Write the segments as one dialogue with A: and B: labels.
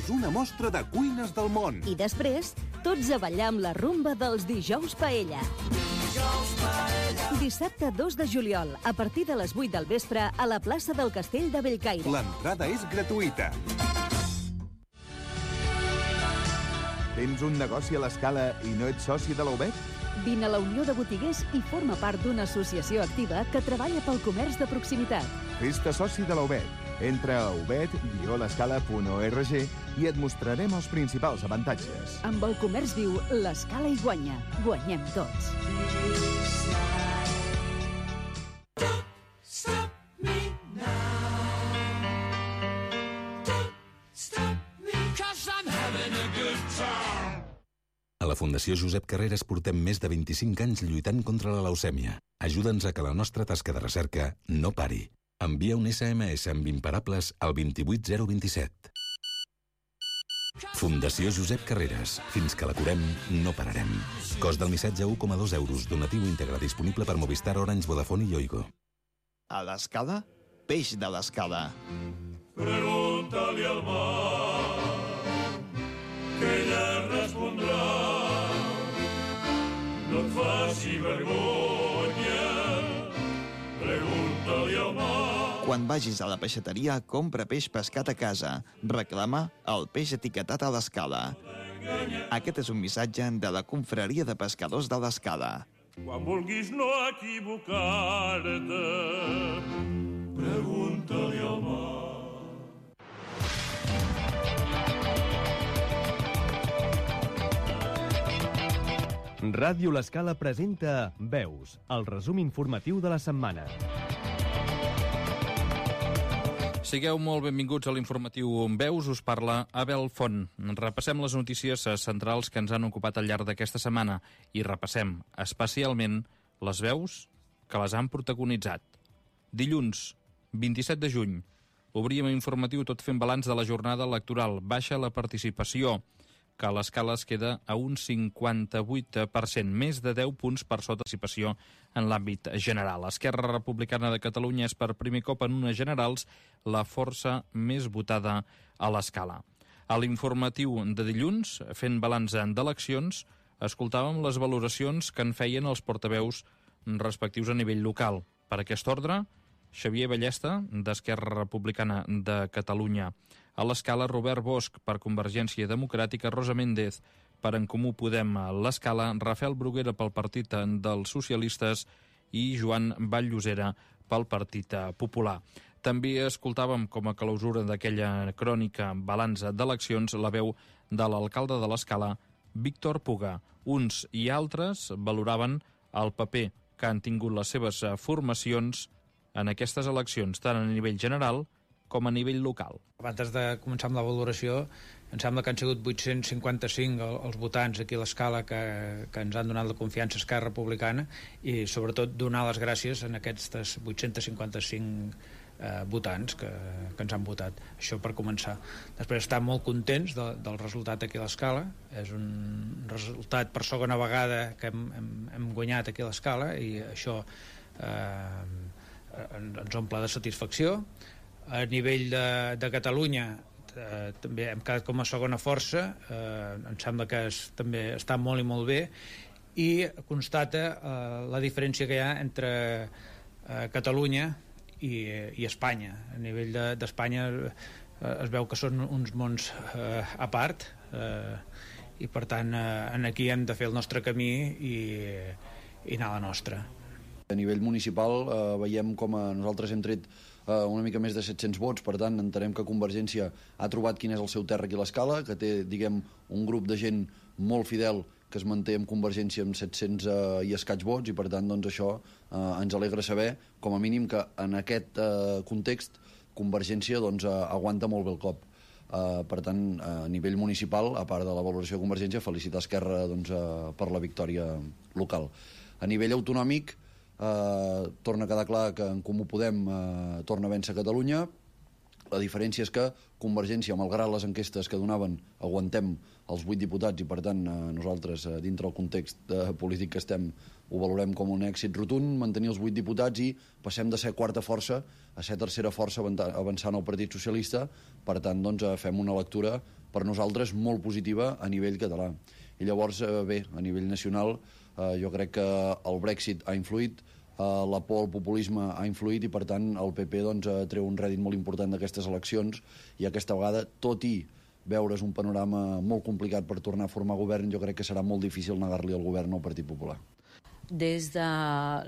A: Fes una mostra de cuines del món.
B: I després, tots a ballar amb la rumba dels Dijous Paella. Dissabte 2 de juliol, a partir de les 8 del vespre, a la plaça del Castell de Bellcaire.
A: L'entrada és gratuïta.
C: Tens un negoci a l'Escala i no ets soci de la UBET?
B: Vine a la Unió de Botiguers i forma part d'una associació activa que treballa pel comerç de proximitat.
C: Fes-te soci de la UBET. Entra a ubet-l'escala.org i et mostrarem els principals avantatges.
B: Amb el comerç viu, l'Escala hi guanya. Guanyem tots.
D: A la Fundació Josep Carreras portem més de 25 anys lluitant contra la leucèmia. Ajuda'ns a que la nostra tasca de recerca no pari. Envia un SMS amb imparables al 28027. Fundació Josep Carreras. Fins que la curem, no pararem. Cost del missatge 1,2 euros. Donatiu íntegre disponible per Movistar, Orange, Vodafone i Yoigo.
E: A l'Escala, peix de l'Escala.
F: Pregunta-li al mar, que ella respondrà. No et faci vergonya, pregunta-li al mar.
E: Quan vagis a la peixateria, compra peix pescat a casa. Reclama el peix etiquetat a l'Escala. Aquest és un missatge de la Confraria de Pescadors de l'Escala.
F: Quan vulguis no equivocar-te, pregunta-li al mar.
G: Ràdio L'Escala presenta Veus, el resum informatiu de la setmana.
H: Sigueu molt benvinguts a l'informatiu Veus, us parla Abel Font. Repassem les notícies centrals que ens han ocupat al llarg d'aquesta setmana i repassem especialment les veus que les han protagonitzat. Dilluns, 27 de juny, obríem informatiu tot fent balanç de la jornada electoral. Baixa la participació, que a l'Escala es queda a un 58%, més de 10 punts per sota de participació en l'àmbit general. Esquerra Republicana de Catalunya és per primer cop en unes generals la força més votada a l'Escala. A l'informatiu de dilluns, fent balanç d'eleccions, escoltàvem les valoracions que en feien els portaveus respectius a nivell local. Per aquest ordre, Xavier Ballesta, d'Esquerra Republicana de Catalunya. A l'Escala, Robert Bosch, per Convergència Democràtica, Rosa Méndez, per En Comú Podem a l'Escala, Rafael Bruguera pel Partit dels Socialistes i Joan Vall-Llosera pel Partit Popular. També escoltàvem com a clausura d'aquella crònica balança d'eleccions la veu de l'alcalde de l'Escala, Víctor Puga. Uns i altres valoraven el paper que han tingut les seves formacions en aquestes eleccions, tant a nivell general com a nivell local.
I: Abans de començar amb la valoració, em sembla que han sigut 855 els votants aquí a l'Escala que ens han donat la confiança a Esquerra Republicana i sobretot donar les gràcies a aquests 855 votants que ens han votat. Això per començar. Després estar molt contents del resultat aquí a l'Escala. És un resultat per segona vegada que hem guanyat aquí a l'Escala i això ens omple de satisfacció. A nivell de Catalunya també hem quedat com a segona força, em sembla que també està molt i molt bé i constata la diferència que hi ha entre Catalunya i Espanya. A nivell d'Espanya es veu que són uns mons a part i per tant aquí hem de fer el nostre camí i anar a la nostra.
J: A nivell municipal veiem com nosaltres hem tret una mica més de 700 vots, per tant entenem que Convergència ha trobat quin és el seu terra aquí a l'Escala, que té, diguem, un grup de gent molt fidel que es manté amb Convergència amb 700 i escaig vots i per tant doncs això ens alegra saber, com a mínim, que en aquest context Convergència doncs aguanta molt bé el cop. Per tant, a nivell municipal, a part de la valoració de Convergència, felicitar Esquerra doncs, per la victòria local. A nivell autonòmic, torna a quedar clar que En Comú Podem torna a vèncer Catalunya, La diferència és que Convergència, malgrat les enquestes que donaven, aguantem els 8 diputats i, per tant, nosaltres, dintre el context polític que estem, ho valorem com un èxit rotund, mantenir els 8 diputats i passem de ser quarta força a ser tercera força avançant al Partit Socialista. Per tant, doncs, fem una lectura per nosaltres molt positiva a nivell català. I llavors, bé, a nivell nacional, jo crec que el Brexit ha influït, la por al populisme ha influït i, per tant, el PP doncs, treu un rèdit molt important d'aquestes eleccions i aquesta vegada, tot i veure's un panorama molt complicat per tornar a formar govern, jo crec que serà molt difícil negar-li el govern al Partit Popular.
K: Des de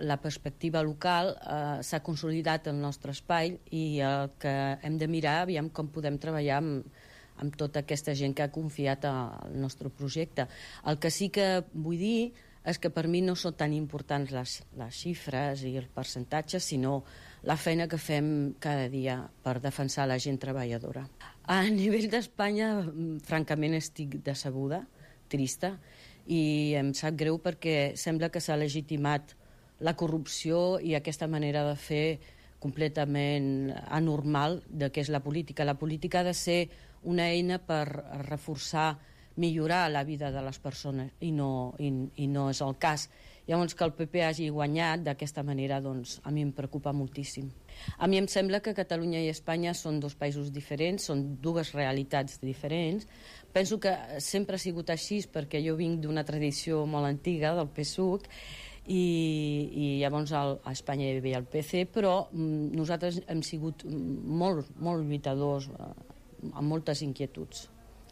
K: la perspectiva local s'ha consolidat el nostre espai i el que hem de mirar, aviam com podem treballar amb tota aquesta gent que ha confiat al nostre projecte. El que sí que vull dir és que per mi no són tan importants les xifres i els percentatges, sinó la feina que fem cada dia per defensar la gent treballadora. A nivell d'Espanya, francament, estic decebuda, trista, i em sap greu perquè sembla que s'ha legitimat la corrupció i aquesta manera de fer completament anormal de què és la política. La política ha de ser una eina per reforçar, millorar la vida de les persones i no és el cas. Llavors, que el PP hagi guanyat d'aquesta manera, doncs, a mi em preocupa moltíssim. A mi em sembla que Catalunya i Espanya són dos països diferents, són dues realitats diferents. Penso que sempre ha sigut així perquè jo vinc d'una tradició molt antiga del PSUC i llavors a Espanya hi havia el PC, però nosaltres hem sigut molt lluitadors amb moltes inquietuds.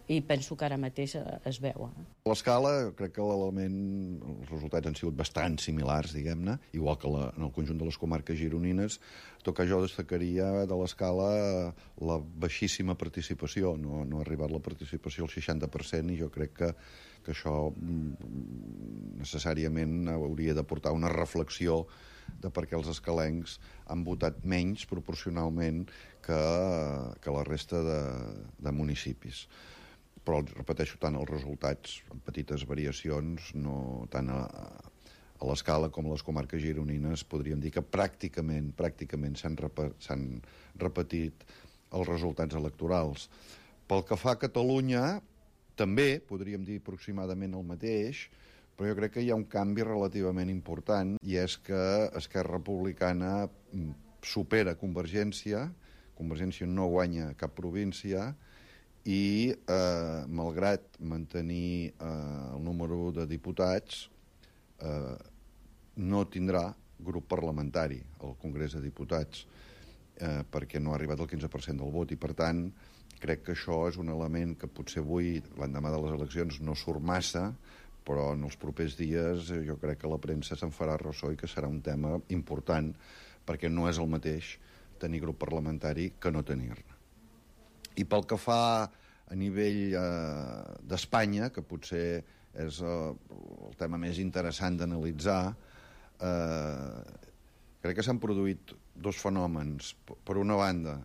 K: I penso que ara mateix es veu.
L: A l'escala, crec que els resultats han sigut bastant similars, diguem-ne, igual que en el conjunt de les comarques gironines. Tot que jo destacaria de l'escala la baixíssima participació. No ha arribat la participació al 60% i jo crec que això necessàriament hauria de portar una reflexió de per què els escalencs han votat menys proporcionalment que la resta de municipis. Però, repeteixo, tant els resultats, amb petites variacions, no tant a l'escala com a les comarques gironines, podríem dir que pràcticament s'han repetit els resultats electorals. Pel que fa a Catalunya, també podríem dir aproximadament el mateix, però jo crec que hi ha un canvi relativament important, i és que Esquerra Republicana supera Convergència no guanya cap província, i, malgrat mantenir el número de diputats, no tindrà grup parlamentari al Congrés de Diputats, perquè no ha arribat al 15% del vot, i, per tant, crec que això és un element que potser avui, l'endemà de les eleccions, no surt massa, però en els propers dies jo crec que la premsa se'n farà ressò i que serà un tema important, perquè no és el mateix tenir grup parlamentari que no tenir-ne. I pel que fa a nivell d'Espanya, que potser és el tema més interessant d'analitzar, crec que s'han produït dos fenòmens. Per una banda,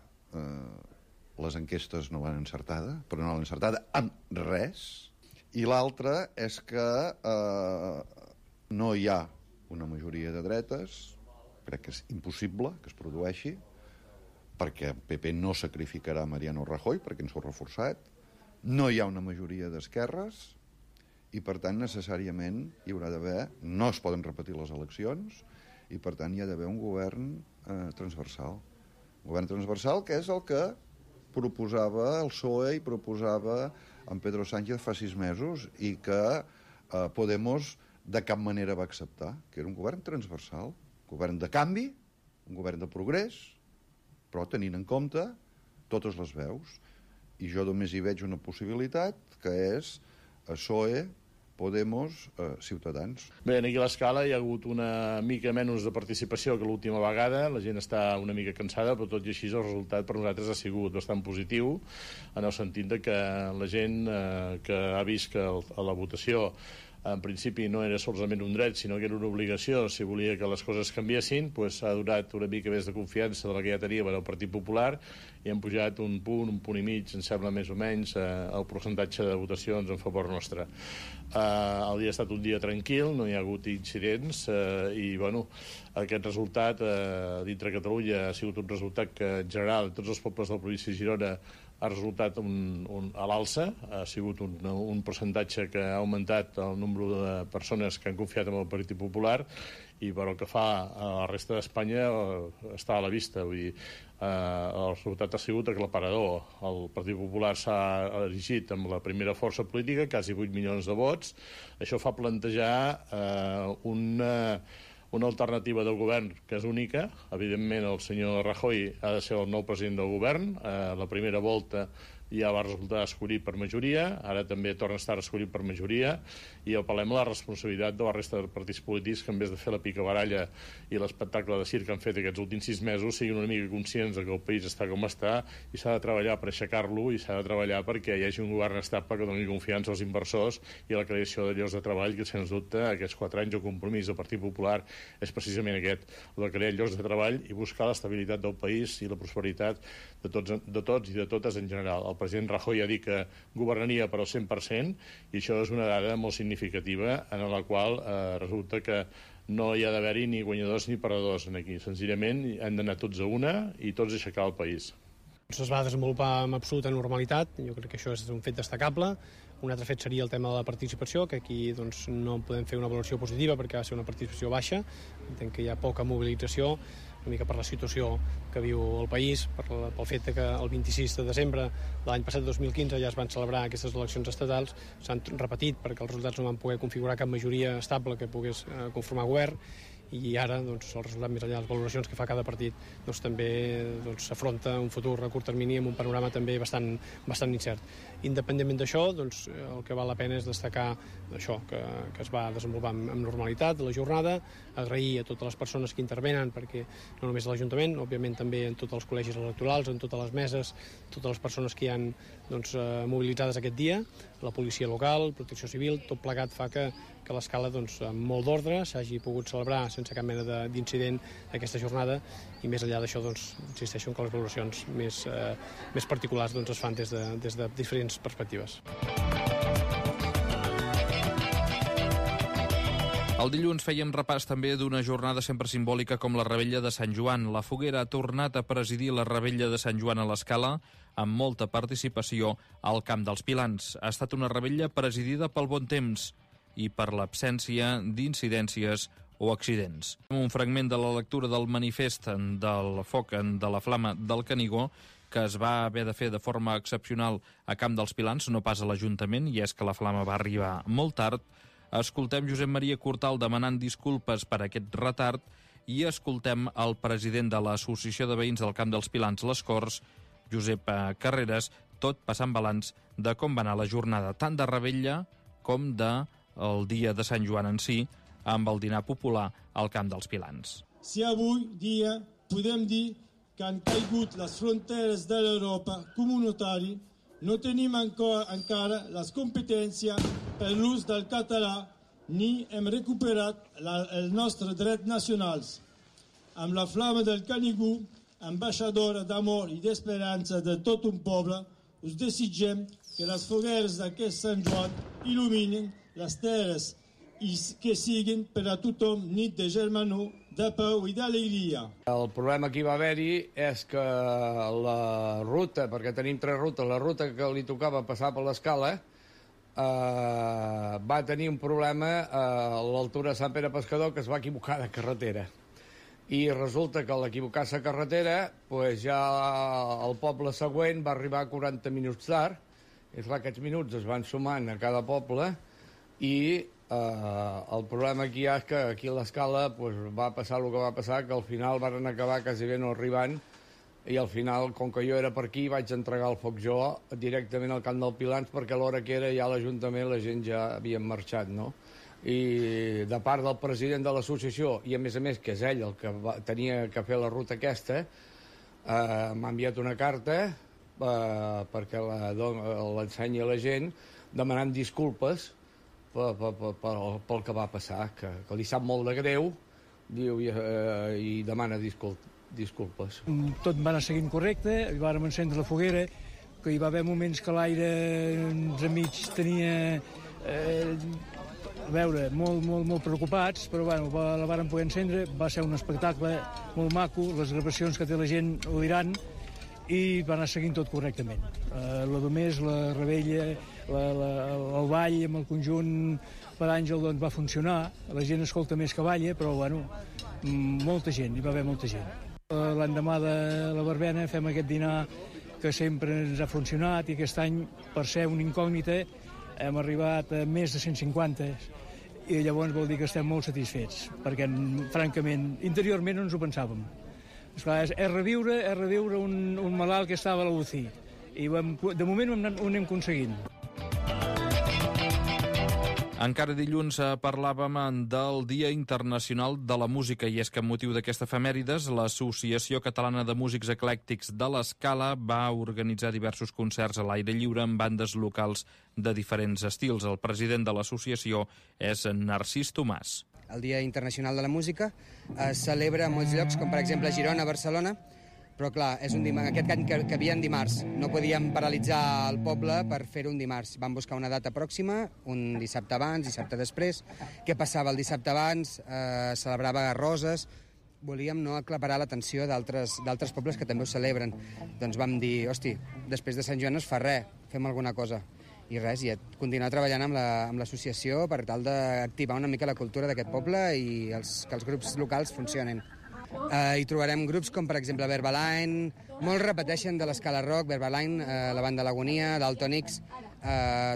L: les enquestes no van encertada, però no l'han encertada amb res, i l'altra és que no hi ha una majoria de dretes, crec que és impossible que es produeixi, perquè el PP no sacrificarà Mariano Rajoy, perquè ens ho ha reforçat, no hi ha una majoria d'esquerres, i per tant necessàriament hi haurà d'haver, no es poden repetir les eleccions, i per tant hi ha d'haver un govern transversal. Un govern transversal que és el que proposava el PSOE i proposava en Pedro Sánchez fa 6 mesos i que Podemos de cap manera va acceptar, que era un govern transversal, un govern de canvi, un govern de progrés, però tenint en compte totes les veus. I jo només hi veig una possibilitat, que és PSOE, Podemos, Ciutadans.
M: Bé, aquí a l'escala hi ha hagut una mica menys de participació que l'última vegada, la gent està una mica cansada, però tot i així el resultat per nosaltres ha sigut bastant positiu, en el sentit de que la gent que ha vist que a la votació en principi no era solament un dret, sinó que era una obligació si volia que les coses canviessin, doncs ha donat una mica més de confiança de la que ja teníem en el Partit Popular i hem pujat un punt i mig, em sembla més o menys, el percentatge de votacions en favor nostre. El dia ha estat un dia tranquil, no hi ha hagut incidents i bueno, aquest resultat dintre Catalunya ha sigut un resultat que en general tots els pobles de la província de Girona ha resultat a l'alça, ha sigut un percentatge que ha augmentat el nombre de persones que han confiat en el Partit Popular i per el que fa a la resta d'Espanya està a la vista. Vull dir, el resultat ha sigut aclaparador. El Partit Popular s'ha erigit amb la primera força política, quasi 8 milions de vots. Això fa plantejar una alternativa del govern que és única. Evidentment, el senyor Rajoy ha de ser el nou president del govern. La primera volta ja va resultar escollit per majoria, ara també torna a estar escollit per majoria, i apel·lem a la responsabilitat de la resta de partits polítics que en vez de fer la picabaralla i l'espectacle de circ que han fet aquests últims 6 mesos siguin una mica conscients que el país està com està i s'ha de treballar per aixecar-lo i s'ha de treballar perquè hi hagi un govern estable que doni confiança als inversors i a la creació de llocs de treball, que sens dubte aquests 4 anys de compromís del Partit Popular és precisament aquest, el de crear llocs de treball i buscar l'estabilitat del país i la prosperitat de tots i de totes en general. El president Rajoy ha dit que governaria per al 100% i això és una dada molt significativa en la qual resulta que no hi ha d'haver-hi ni guanyadors ni perdedors aquí. Senzillament hem d'anar tots a una i tots aixecar el país.
N: Es va desenvolupar amb absoluta normalitat, jo crec que això és un fet destacable. Un altre fet seria el tema de la participació, que aquí doncs, no podem fer una valoració positiva perquè va ser una participació baixa, entenc que hi ha poca mobilització, una mica per la situació que viu el país, pel fet que el 26 de desembre de l'any passat, 2015, ja es van celebrar aquestes eleccions estatals, s'han repetit perquè els resultats no van poder configurar cap majoria estable que pogués conformar govern, i ara doncs, el resultat més enllà de les valoracions que fa cada partit doncs, també s'afronta un futur a curt termini amb un panorama també bastant incert. Independentment d'això, doncs, el que val la pena és destacar això, que es va desenvolupar amb normalitat la jornada, agrair a totes les persones que intervenen, perquè no només a l'Ajuntament, òbviament també en tots els col·legis electorals, en totes les meses, totes les persones que hi han doncs, mobilitzades aquest dia, la policia local, protecció civil, tot plegat fa que l'escala doncs, amb molt d'ordre s'hagi pogut celebrar sense cap mena d'incident aquesta jornada i més enllà d'això doncs, insisteixo que les valoracions més particulars doncs, es fan des de diferents perspectives.
H: El dilluns fèiem repàs també d'una jornada sempre simbòlica com la Rebella de Sant Joan. La Foguera ha tornat a presidir la Rebella de Sant Joan a l'Escala amb molta participació al Camp dels Pilans. Ha estat una rebella presidida pel bon temps i per l'absència d'incidències o accidents. Un fragment de la lectura del manifest del foc de la Flama del Canigó que es va haver de fer de forma excepcional a Camp dels Pilans, no pas a l'Ajuntament, i és que la Flama va arribar molt tard. Escoltem Josep Maria Cortal demanant disculpes per aquest retard i escoltem el president de l'Associació de Veïns del Camp dels Pilans, les Corts, Josep Carreras, tot passant balanç de com va anar la jornada, tant de rebella com del dia de Sant Joan en si, amb el dinar popular al Camp dels Pilans.
O: Si avui dia podem dir que han caigut les fronteres de l'Europa comunitari, no tenim encara les competències per l'ús del català ni hem recuperat els nostres drets nacionals. Amb la Flama del Canigó, ambaixadora d'amor i d'esperança de tot un poble, us desitgem que les fogueres d'aquest Sant Joan il·luminin les terres i que siguin per a tothom nit de germanor, de pau i d'alegria.
P: El problema que hi va haver-hi és que la ruta, perquè tenim 3 rutes, la ruta que li tocava passar per l'Escala va tenir un problema a l'altura de Sant Pere Pescador, que es va equivocar de carretera. I resulta que a l'equivocar-se de carretera doncs ja el poble següent va arribar 40 minuts tard. És clar, aquests minuts es van sumant a cada poble i el problema aquí és que aquí a l'Escala va passar el que va passar, que al final van acabar quasi bé no arribant i al final, com que jo era per aquí, vaig entregar el foc jo directament al Camp dels Pilans perquè a l'hora que era ja a l'Ajuntament la gent ja havia marxat, no? I de part del president de l'associació, i a més que és ell el que tenia que fer la ruta aquesta, m'ha enviat una carta perquè l'ensenyi a la gent demanant disculpes pel que va passar, que li sap molt de greu, diu, i demana disculpes.
Q: Tot va anar seguint correcte, vàrem encendre la foguera, que hi va haver moments que l'aire entremig tenia... a veure, molt preocupats, però bueno, la vàrem poder encendre, va ser un espectacle molt maco, les gravacions que té la gent ho diran, i va anar seguint tot correctament. La Domés, la Rebella, el ball amb el conjunt per Àngel doncs, va funcionar, la gent escolta més que balla, però bueno, molta gent, hi va haver molta gent. L'endemà de la verbena fem aquest dinar que sempre ens ha funcionat i aquest any, per ser una incògnita, hem arribat a més de 150 i llavors vol dir que estem molt satisfets, perquè, francament, interiorment no ens ho pensàvem. Esclar, és reviure un malalt que estava a la UCI i de moment ho anem aconseguint.
H: Encara dilluns parlàvem del Dia Internacional de la Música i és que amb motiu d'aquesta efemèrides l'Associació Catalana de Músics Eclèctics de l'Escala va organitzar diversos concerts a l'aire lliure amb bandes locals de diferents estils. El president de l'associació és Narcís Tomàs.
R: El Dia Internacional de la Música es celebra a molts llocs, com per exemple a Girona, a Barcelona, però clar, és aquest any que havia en dimarts. No podíem paralitzar el poble per fer-ho un dimarts. Vam buscar una data pròxima, un dissabte abans, dissabte després. Què passava el dissabte abans? Celebrava Roses. Volíem no aclaparar l'atenció d'altres pobles que també ho celebren. Doncs vam dir, hosti, després de Sant Joan no es fa res, fem alguna cosa. I res, i continuar treballant amb l'associació per tal d'activar una mica la cultura d'aquest poble i que els grups locals funcionin. Hi trobarem grups com, per exemple, Verbaline, molts repeteixen de l'Escala Rock, Verbaline, la banda Lagonia, Daltonics,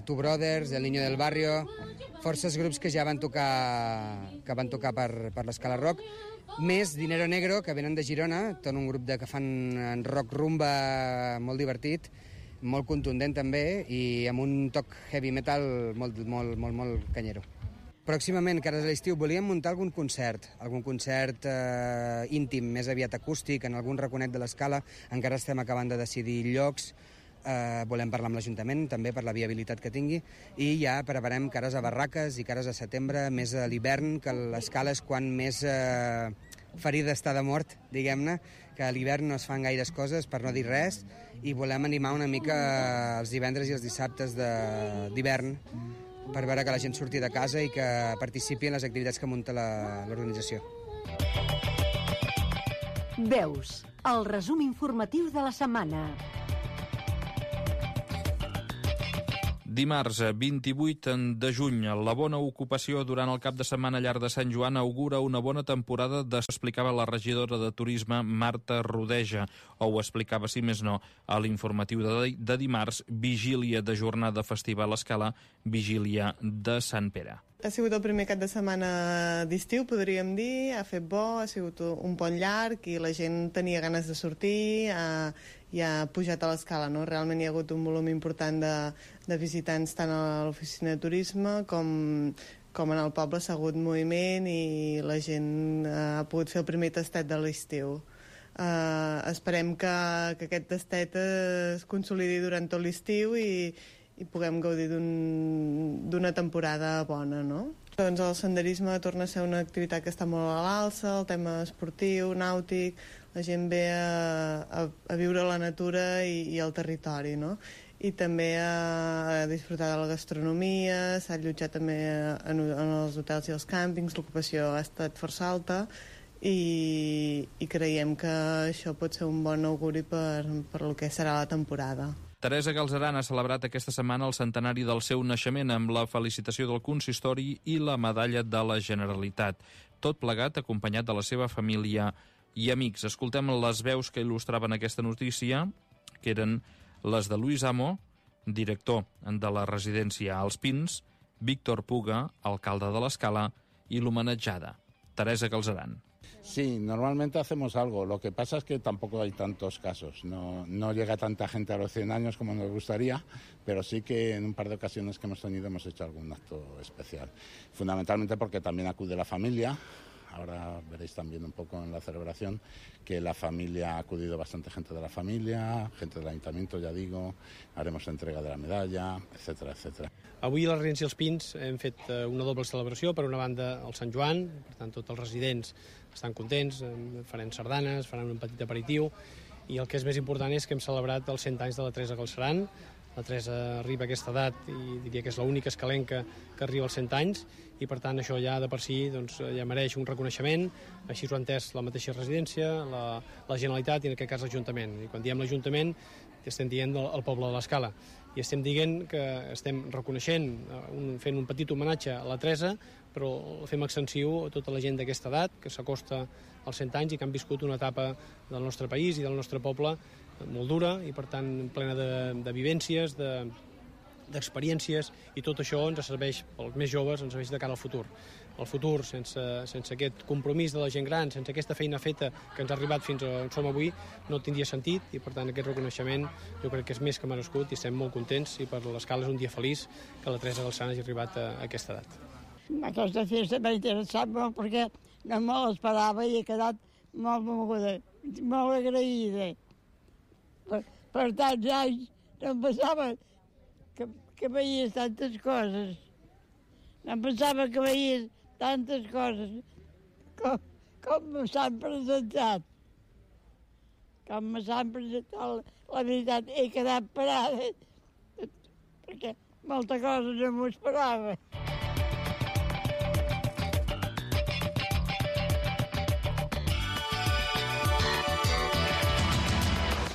R: Two Brothers, El Niño del Barrio, forces grups que ja van tocar per l'Escala Rock, més Dinero Negro, que venen de Girona, tot un grup que fan rock rumba molt divertit, molt contundent també, i amb un toc heavy metal molt canyero. Pròximament, que ara és l'estiu, volíem muntar algun concert íntim, més aviat acústic, en algun raconet de l'Escala. Encara estem acabant de decidir llocs. Volem parlar amb l'Ajuntament, també per la viabilitat que tingui. I ja preparem cares a barraques i cares a setembre, més a l'hivern, que l'Escala és quan més ferida està de mort, diguem-ne, que a l'hivern no es fan gaires coses, per no dir res, i volem animar una mica els divendres i els dissabtes d'hivern, per veure que la gent surti de casa i que participi en les activitats que munta l'organització.
B: Veus, el resum informatiu de la setmana.
H: Dimarts 28 de juny, la bona ocupació durant el cap de setmana llarg de Sant Joan augura una bona temporada, explicava la regidora de Turisme Marta Rodeja, o ho explicava, si més no, a l'informatiu de dimarts, vigília de jornada festiva a l'Escala, vigília de Sant Pere.
S: Ha sigut el primer cap de setmana d'estiu, podríem dir, ha fet bo, ha sigut un pont llarg i la gent tenia ganes de sortir, i ha pujat a l'escala, no? Realment hi ha hagut un volum important de visitants tant a l'oficina de turisme com en el poble, s'ha hagut moviment i la gent ha pogut fer el primer tastet de l'estiu. Esperem que aquest tastet es consolidi durant tot l'estiu i puguem gaudir d'una temporada bona, no? Doncs el senderisme torna a ser una activitat que està molt a l'alça, el tema esportiu, nàutic, la gent ve a viure la natura i el territori, no? I també a disfrutar de la gastronomia, s'ha allotjat també en els hotels i els càmpings, l'ocupació ha estat força alta i creiem que això pot ser un bon auguri per el que serà la temporada.
H: Teresa Galzeran ha celebrat aquesta setmana el centenari del seu naixement amb la felicitació del consistori i la medalla de la Generalitat. Tot plegat acompanyat de la seva família i amics. Escoltem les veus que il·lustraven aquesta notícia, que eren les de Luis Amo, director de la residència als Pins, Víctor Puga, alcalde de l'Escala, i l'homenatjada, Teresa Galzeran.
T: Sí, normalmente hacemos algo. Lo que pasa es que tampoco hay tantos casos. No llega tanta gente a los 100 años como nos gustaría, pero sí que en un par de ocasiones que hemos tenido hemos hecho algún acto especial. Fundamentalmente porque también acude la familia Ahora veréis también un poco en la celebración que la familia ha acudido bastante gente de la familia, gente del ayuntamiento, ja digo, haremos entrega de la medalla, etcètera, etcètera.
N: Avui a la Residència Els Pins hem fet una doble celebració. Per una banda, el Sant Joan, per tant, tots els residents estan contents, farem sardanes, faran un petit aperitiu, i el que és més important és que hem celebrat els 100 anys de la Teresa Galceran. La Teresa arriba a aquesta edat i diria que és l'única escalenca que arriba als 100 anys, i per tant això ja de per si ja mereix un reconeixement. Així ho ha entès la mateixa residència, la Generalitat i en aquest cas l'Ajuntament. I quan diem l'Ajuntament estem dient el poble de l'Escala, i estem dient que estem reconeixent, fent un petit homenatge a la Teresa, però fem extensiu a tota la gent d'aquesta edat que s'acosta als 100 anys i que han viscut una etapa del nostre país i del nostre poble molt dura i per tant plena de vivències, d'experiències, i tot això ens serveix, pels més joves, ens serveix de cara al futur. El futur, sense aquest compromís de la gent gran, sense aquesta feina feta que ens ha arribat fins on som avui, no tindria sentit, i per tant aquest reconeixement jo crec que és més que merescut i estem molt contents, i per l'Escala és un dia feliç que la Teresa Galceran hagi arribat a aquesta edat.
U: Aquesta festa m'ha interessat molt perquè no me l'esperava i he quedat molt moguda, molt agraïda. Per tants anys no em pensava que veies tantes coses. No em pensava que veies tantes coses com s'han presentat. Com s'han presentat, la veritat, he quedat parada perquè molta cosa no m'ho esperava.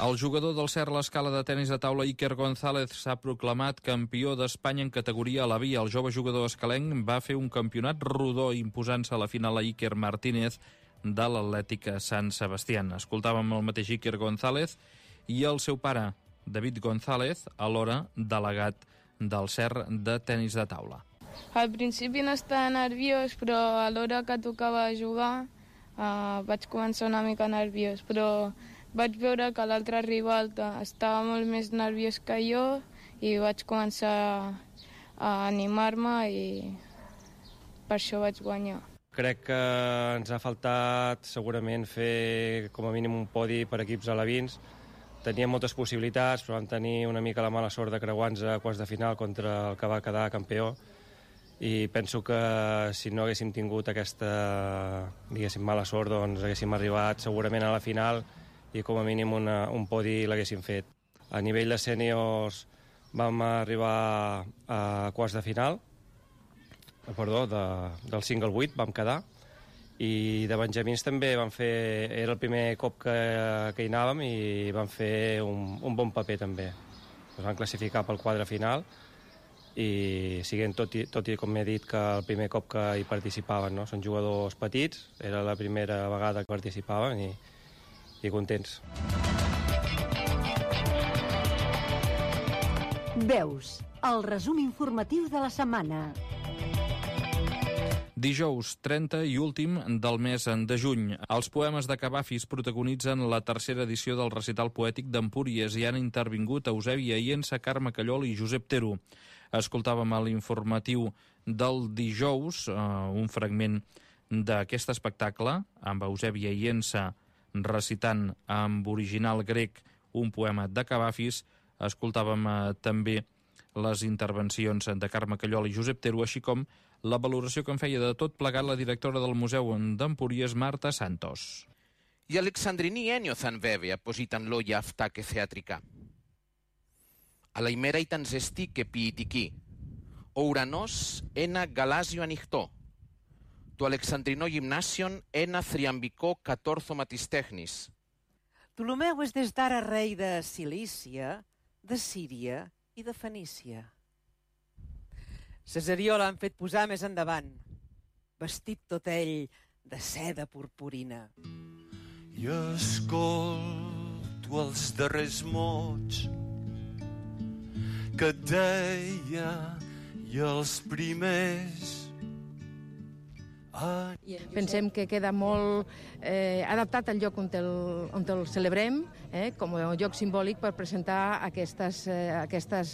H: El jugador del CER l'Escala de tenis de taula Iker González s'ha proclamat campió d'Espanya en categoria a la via. El jove jugador escalenc va fer un campionat rodó imposant-se a la final a Iker Martínez de l'Atlètic Sant Sebastián. Escoltàvem el mateix Iker González i el seu pare, David González, alhora delegat del CER de tenis de taula.
V: Al principi no estava nerviós, però a l'hora que tocava jugar vaig començar una mica nerviós, però vaig veure que l'altre rival estava molt més nerviós que jo i vaig començar a animar-me i per això vaig guanyar.
W: Crec que ens ha faltat segurament fer com a mínim un podi per equips alevins. Teníem moltes possibilitats, però vam tenir una mica la mala sort de creuar-nos a quarts de final contra el que va quedar campió, i penso que si no haguéssim tingut aquesta, diguéssim, mala sort, doncs haguéssim arribat segurament a la final i com a mínim un podi l'haguéssim fet. A nivell de sèniors vam arribar a quarts de final, del single 8 vam quedar, i de benjamins també vam fer, era el primer cop que hi anàvem i vam fer un bon paper també. Ens vam classificar pel quadre final i siguent tot i com he dit que el primer cop que hi participaven, no? Són jugadors petits, era la primera vegada que participaven i contents.
B: Veus, el resum informatiu de la setmana.
H: Dijous 30 i últim del mes de juny. Els poemes de Cavafis protagonitzen la tercera edició del recital poètic d'Empúries i han intervingut Eusebi Aiensa, Carme Callol i Josep Tero. Escoltàvem a l'informatiu del dijous un fragment d'aquest espectacle amb Eusebi Aiensa recitant amb original grec un poema de Cavafis. Escoltàvem també les intervencions de Carme Callol i Josep Tero, així com la valoració que en feia de tot plegat la directora del Museu d'Empúries, Marta Santos.
X: Η Αλεξανδρινή ένιωθαν βέβαια πως ήταν λόγια αυτά και θεατρικά. Αλλά η μέρα ήταν ζεστή και ποιητική. Ο ουρανός ένα γαλάζιο ανοιχτό. Το Αλεξανδρινό Γυμνάσιον ένα θριαμβικό κατόρθωμα της τέχνης.
Y: Ptolomeu és des d'ara rei de Cilícia, de Síria i de Fenícia. Cesarió l'han fet posar més endavant, vestit tot ell de seda purpurina.
Z: I escolto els darrers mots que et deia i els primers
A: Pensem que queda molt adaptat al lloc on el celebrem, com a lloc simbòlic per presentar aquestes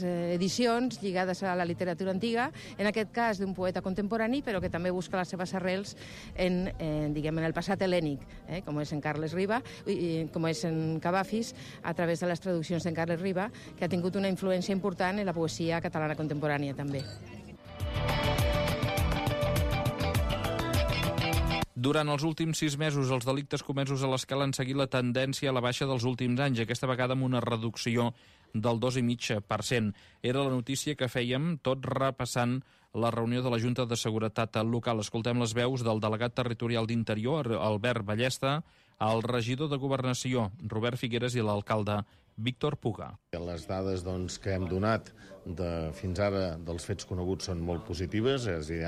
A: edicions lligades a la literatura antiga, en aquest cas d'un poeta contemporani, però que també busca les seves arrels en el passat hel·lènic, com és en Carles Riba, com és en Cavafis, a través de les traduccions d'en Carles Riba, que ha tingut una influència important en la poesia catalana contemporània també.
H: Durant els últims 6 mesos, els delictes comesos a l'Escala han seguit la tendència a la baixa dels últims anys, aquesta vegada amb una reducció del 2,5%. Era la notícia que fèiem tot repassant la reunió de la Junta de Seguretat Local. Escoltem les veus del delegat territorial d'Interior, Albert Ballesta, el regidor de Governació, Robert Figueres, i l'alcalde Víctor Puga.
C: Les dades que hem donat fins ara dels fets coneguts són molt positives, és a dir,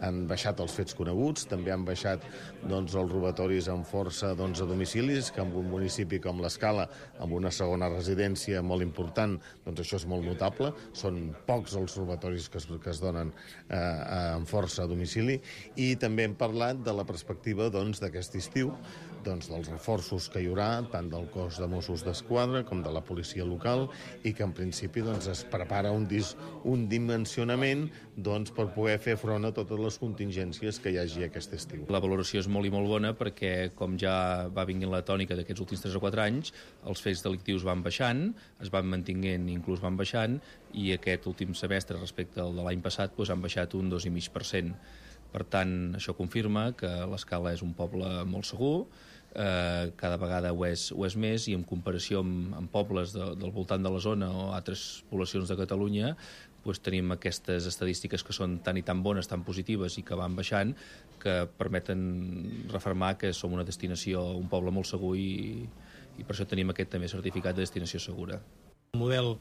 C: han baixat els fets coneguts, també han baixat els robatoris amb força a domicilis, que en un municipi com l'Escala, amb una segona residència molt important, això és molt notable, són pocs els robatoris que es donen amb força a domicili, i també hem parlat de la perspectiva d'aquest estiu, dels reforços que hi haurà, tant del cos de Mossos d'Esquadra com de la policia local, i que en principi es prepara un dimensionament per poder fer front a totes les contingències que hi hagi aquest estiu.
D: La valoració és molt i molt bona perquè, com ja va vinguent la tònica d'aquests últims 3 o 4 anys, els fets delictius van baixant, es van mantinguent i inclús van baixant, i aquest últim semestre respecte al de l'any passat han baixat un 2,5%. Per tant, això confirma que l'Escala és un poble molt segur, cada vegada ho és més, i en comparació amb pobles del voltant de la zona o altres poblacions de Catalunya, tenim aquestes estadístiques que són tan i tan bones, tan positives i que van baixant, que permeten refermar que som una destinació, un poble molt segur, i per això tenim aquest també certificat de destinació segura.
N: El model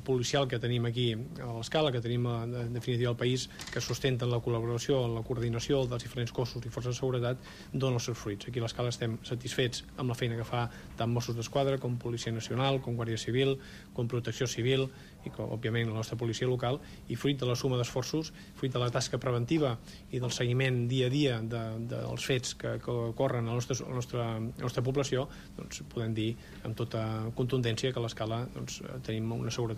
N: policial que tenim aquí a l'Escala, que tenim en definitiva al país, que sustenten la col·laboració, la coordinació dels diferents cossos i forces de seguretat, dona els seus fruits. Aquí a l'Escala estem satisfets amb la feina que fa tant Mossos d'Esquadra com Policia Nacional, com Guàrdia Civil, com Protecció Civil i, òbviament, la nostra policia local, i fruit de la suma d'esforços, fruit de la tasca preventiva i del seguiment dia a dia dels fets que ocorren a la nostra població, podem dir amb tota contundència que a l'Escala tenim una seguretat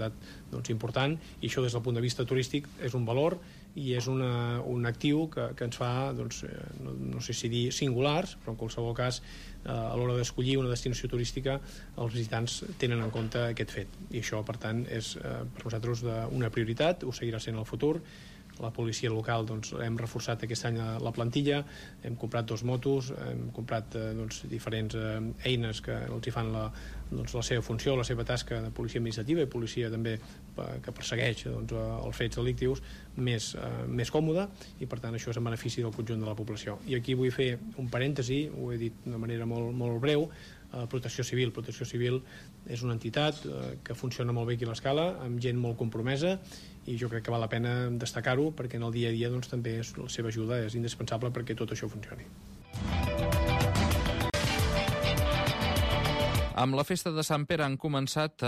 N: important, i això des del punt de vista turístic és un valor i és un actiu que ens fa, no sé si dir singulars, però en qualsevol cas a l'hora d'escollir una destinació turística els visitants tenen en compte aquest fet, i això per tant és per nosaltres una prioritat, ho seguirà sent en el futur. La policia local hem reforçat aquest any la plantilla, hem comprat 2 motos, hem comprat diferents eines que els hi fan la seva funció, la seva tasca de policia administrativa i policia també que persegueix els fets delictius més còmode, i per tant això és en benefici del conjunt de la població. I aquí vull fer un parèntesi, ho he dit d'una manera molt breu. Protecció Civil. Protecció Civil és una entitat que funciona molt bé aquí a l'Escala, amb gent molt compromesa, i jo crec que val la pena destacar-ho perquè en el dia a dia també la seva ajuda és indispensable perquè tot això funcioni.
H: Amb la festa de Sant Pere han començat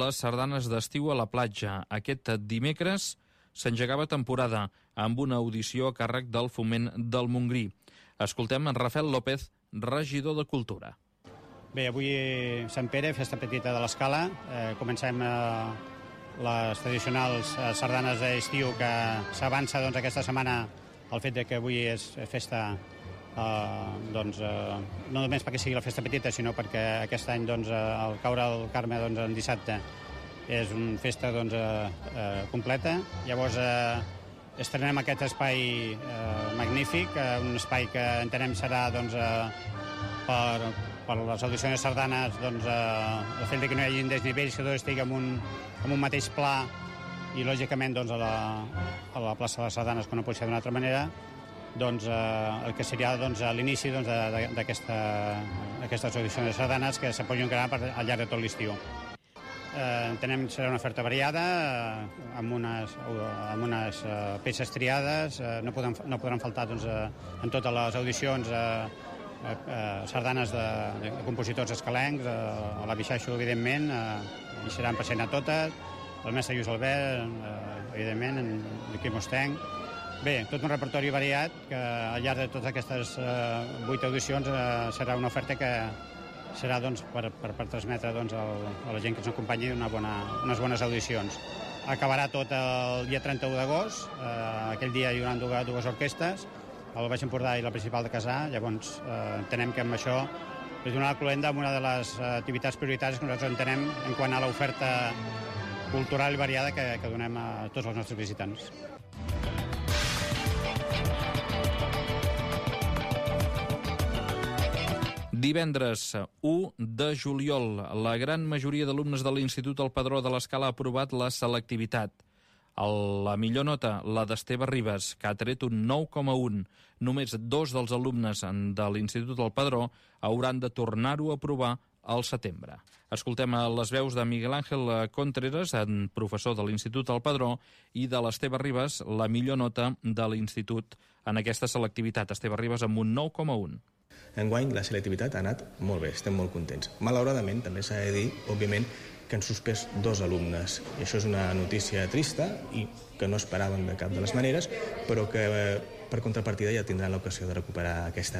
H: les sardanes d'estiu a la platja. Aquest dimecres s'engegava temporada amb una audició a càrrec del Foment del Montgrí. Escoltem en Rafael López, regidor de Cultura.
E: Bé, avui Sant Pere, festa petita de l'Escala. Comencem les tradicionals sardanes d'estiu, que s'avança aquesta setmana el fet que avui és festa, no només perquè sigui la festa petita, sinó perquè aquest any el caure del Carme en dissabte és una festa completa. Llavors estrenem aquest espai magnífic, un espai que entenem serà per les audicions de sardanes, el fet que no hi hagi desnivells, que tot estigui en un mateix pla, i lògicament a la plaça de les sardanes, que no pot ser d'una altra manera, el que seria l'inici d'aquestes audicions de sardanes que se poden crear al llarg de tot l'estiu. Entenem que serà una oferta variada, amb unes peces triades, no podran faltar en totes les audicions sardanes de compositors escalencs, a la Bixaixo, evidentment, hi seran present a totes, el mestre Lluís Albert, evidentment, en Quim Ostenc, Bé, tot un repertori variat que al llarg de totes aquestes 8 audicions serà una oferta que serà per transmetre a la gent que ens acompanyi unes bones audicions. Acabarà tot el dia 31 d'agost, aquell dia hi haurà dues orquestes, el Baix Empordà i la Principal de Casà, llavors entenem que amb això és donar la cloenda amb una de les activitats prioritàries que nosaltres entenem en quant a l'oferta cultural i variada que donem a tots els nostres visitants.
H: Divendres 1 de juliol, la gran majoria d'alumnes de l'Institut El Padró de l'Escala ha aprovat la selectivitat. La millor nota, la d'Esteve Ribas, que ha tret un 9,1. Només 2 dels alumnes de l'Institut El Padró hauran de tornar-ho a aprovar al setembre. Escoltem les veus de Miguel Ángel Contreras, professor de l'Institut El Padró, i de l'Esteve Ribas, la millor nota de l'Institut en aquesta selectivitat. Esteve Ribas amb un 9,1.
F: Enguany la selectivitat ha anat molt bé, estem molt contents. Malauradament, també s'ha de dir, òbviament, que han suspès 2 alumnes. I això és una notícia trista i que no esperaven de cap de les maneres, però que per contrapartida ja tindran l'ocasió de recuperar aquesta